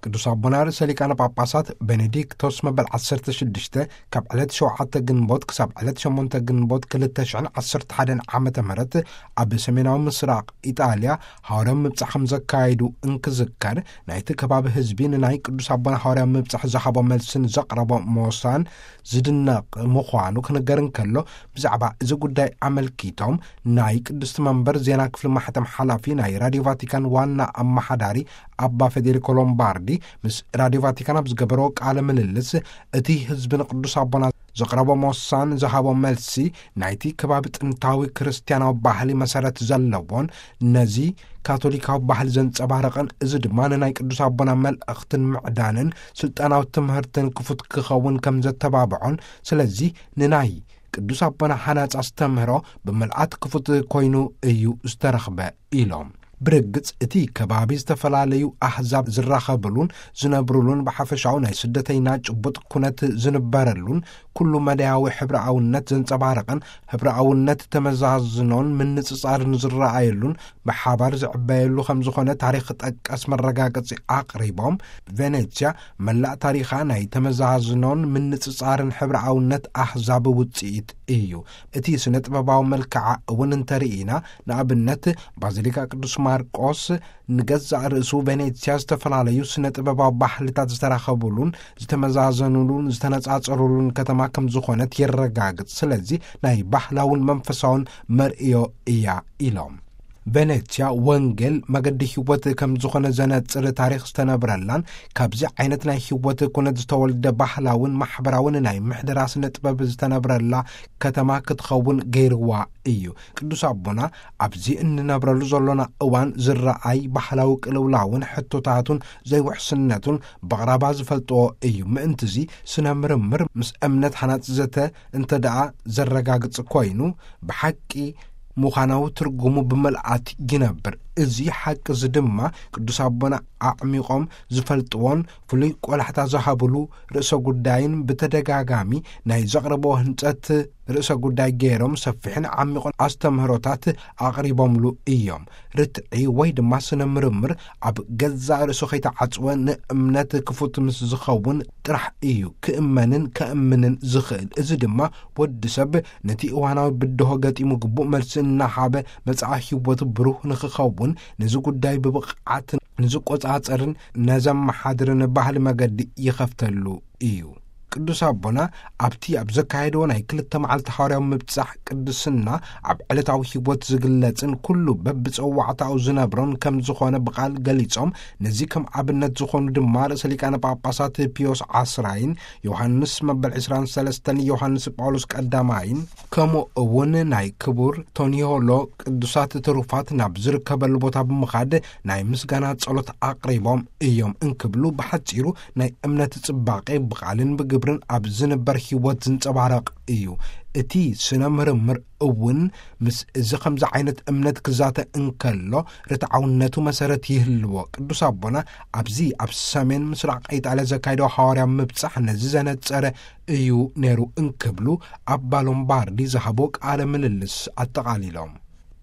ቅዱስ ኣቦና ርእሰ ሊቃነ ጳጳሳት ቤኔዲክቶስ መበል ዓሰርተ ሽዱሽተ ካብ ዕለት ሸውዓተ ግንቦት ክሳብ ዕለት ሸሞንተ ግንቦት ክልተ ሽሕን ዓሰርተ ሓደን ዓመተ ምህረት ኣብ ሰሜናዊ ምስራቕ ኢጣልያ ሃዋርያዊ ምብጻሕ ከም ዘካየዱ እንክዝከር፣ ናይቲ ከባቢ ህዝቢ ንናይ ቅዱስ ኣቦና ሃዋርያዊ ምብጻሕ ዝሃቦ መልስን ዘቕረቦ ሞሳን ዝድነቕ ምዃኑ ክንገር እንከሎ፣ ብዛዕባ እዚ ጉዳይ ኣመልኪቶም ናይ ቅድስቲ መንበር ዜና ክፍሊ ማሕተም ሓላፊ ናይ ራዲዮ ቫቲካን ዋና ኣመሓዳሪ ኣባ ፌዴሪኮ ሎምባርዲ ምስ ራዲዮ ቫቲካን ኣብ ዝገበሮ ቃለ ምልልስ፣ እቲ ህዝቢ ንቅዱስ ኣቦና ዘቕረቦ ሞሳን ዝሃቦ መልሲ ናይቲ ከባቢ ጥንታዊ ክርስትያናዊ ባህሊ መሰረት ዘለዎን ነዚ ካቶሊካዊ ባህሊ ዘንጸባረቐን፣ እዚ ድማ ንናይ ቅዱስ ኣቦና መልእኽትን ምዕዳንን ስልጣናዊ ትምህርትን ክፉት ክኸውን ከም ዘተባብዖን፣ ስለዚ ንናይ ቅዱስ ኣቦና ሓናጽ ኣስተምህሮ ብምልኣት ክፉት ኮይኑ እዩ ዝተረኽበ ኢሎም። ብርግጽ እቲ ከባቢ ዝተፈላለዩ ኣህዛብ ዝራኸብሉን ዝነብሩሉን፣ ብሓፈሻዊ ናይ ስደተይና ጭቡጥ ኩነት ዝንበረሉን፣ ኩሉ መዳያዊ ሕብረኣውነት ዘንጸባረቐን፣ ሕብረኣውነት ተመዛዝኖን ምንጽጻርን ዝረኣየሉን፣ ብሓባር ዝዕበየሉ ከም ዝኾነ ታሪኽ ጠቀስ መረጋገጺ ኣቕሪቦም፣ ቬኔትስያ መላእ ታሪኻ ናይ ተመዛዝኖን ምንጽጻርን ሕብረኣውነት ኣህዛብ ውጽኢት እዩ። እቲ ስነ ጥበባዊ መልክዓ እውን እንተርኢና፣ ንኣብነት ባዚሊካ ቅዱስ ማርቆስ ንገዛእ ርእሱ ቬኔትስያ ዝተፈላለዩ ስነ ጥበባዊ ባህልታት ዝተራኸቡሉን ዝተመዛዘኑሉን ዝተነጻጸሩሉን ከተማ ከም ዝኾነት የረጋግጽ። ስለዚ ናይ ባህላውን መንፈሳውን መርእዮ እያ ኢሎም። ቬኔትስያ ወንጌል መገዲ ህይወት ከም ዝኾነ ዘነጽር ታሪኽ ዝተነብረላን፣ ካብዚ ዓይነት ናይ ህይወት ኩነት ዝተወልደ ባህላውን ማሕበራውን ናይ ምሕደራ ስነ ጥበብ ዝተነብረላ ከተማ ክትኸውን ገይርዋ እዩ። ቅዱስ ኣቦና ኣብዚ እንነብረሉ ዘሎና እዋን ዝረኣይ ባህላዊ ቅልውላውን ሕቶታቱን ዘይውሕስነቱን ብቕራባ ዝፈልጥዎ እዩ። ምእንትዚ ስነ ምርምር ምስ እምነት ሓናጽ ዘተ እንተ ደኣ ዘረጋግጽ ኮይኑ፣ ብሓቂ ምዃናዊ ትርጉሙ ብምልኣት ይነብር። እዚ ሓቂ እዚ ድማ ቅዱስ ኣቦና ኣዕሚቖም ዝፈልጥዎን ፍሉይ ቆላሕታ ዝሃብሉ ርእሰ ጉዳይን ብተደጋጋሚ ናይ ዘቕረብዎ ህንጸት ርእሰ ጉዳይ ገይሮም ሰፊሕን ዓሚቑን ኣስተምህሮታት ኣቕሪቦምሉ እዮም። ርትዒ ወይ ድማ ስነ ምርምር ኣብ ገዛእ ርእሱ ከይተዓጽወ ንእምነት ክፉት ምስ ዝኸውን ጥራሕ እዩ ክእመንን ከእምንን ዝኽእል። እዚ ድማ ወዲ ሰብ ነቲ እዋናዊ ብድሆ ገጢሙ ግቡእ መልሲ እናሃበ መጻኢ ህይወቱ ብሩህ ንኽኸውን፣ ነዚ ጉዳይ ብብቕዓት ንዝቆጻጸርን ነዘመሓድርን ባህሊ መገዲ ይኸፍተሉ እዩ። ቅዱስ ኣቦና ኣብቲ ኣብ ዘካየድዎ ናይ ክልተ መዓልቲ ሃዋርያዊ ምብጻሕ ቅድስና፣ ኣብ ዕለታዊ ህይወት ዝግለጽን ኩሉ በብጸዋዕታኡ ዝነብሮን ከም ዝኾነ ብቓል ገሊጾም፣ ነዚ ከም ኣብነት ዝኾኑ ድማ ርእሰ ሊቃነ ጳጳሳት ፒዮስ ዓስራይን ዮሃንስ መበል ዕስራን ሰለስተን ዮሃንስ ጳውሎስ ቀዳማይን፣ ከምኡ እውን ናይ ክቡር ቶኒዮሎ ቅዱሳት ትሩፋት ናብ ዝርከበሉ ቦታ ብምኻድ ናይ ምስጋና ጸሎት ኣቕሪቦም እዮም እንክብሉ፣ ብሓጺሩ ናይ እምነት ጽባቄ ብቓልን ብግብርን ኣብ ዝንበር ህይወት ዝንጸባረቕ እዩ። እቲ ስነ ምርምር እውን ምስ እዚ ከምዚ ዓይነት እምነት ክዛተ እንከሎ ርትዓውነቱ መሰረት ይህልዎ። ቅዱስ ኣቦና ኣብዚ ኣብ ሰሜን ምስራቕ ኢጣልያ ዘካየዶ ሃዋርያ ምብጻሕ ነዚ ዘነጸረ እዩ ነይሩ እንክብሉ ኣባ ሎምባርዲ ዝሃቦ ቃለ ምልልስ ኣጠቓሊሎም።